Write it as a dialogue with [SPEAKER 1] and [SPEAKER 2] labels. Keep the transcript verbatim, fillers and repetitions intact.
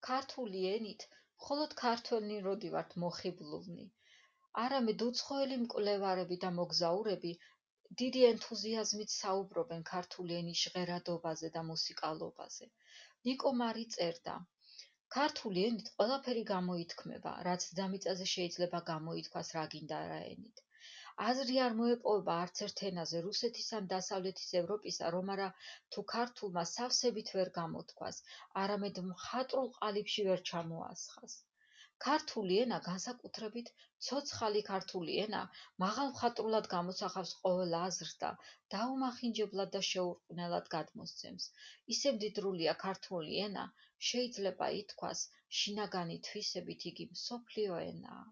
[SPEAKER 1] ქართული ენით მხოლოდ ქართველნი როდი ვართ მოხიბლულნი. არამედ უცხოელი მკვლევარები და მოგზაურები დიდი ენთუზიაზმით საუბრობენ ქართული ენის ჟღერადობაზე და მუსიკალობაზე. ნიკო მარი წერდა: ქართული ენით ყველაფერი გამოითქმება, რაც დედამიწაზე შეიძლება გამოითქვას რა გინდა რა ენით. აზრი არ მოეპოვება არც ერთ ენაზე რუსეთის ან დასავლეთის ევროპისა, რომ არა თუ ქართულმა სავსებით ვერ გამოთქვას, არამედ მხატვრულ ყალიბში ვერ ჩამოასხას. ქართული ენა, განსაკუთრებით ცოცხალი ქართული ენა, მაღალ მხატვრულად გამოსახავს ყოველ აზრს და დაუმახინჯებლად და შეურყვნელად გადმოსცემს. ისე მდიდრულია ქართული ენა, შეიძლება ითქვას, შინაგანი თვისებით იგი მსოფლიო ენაა.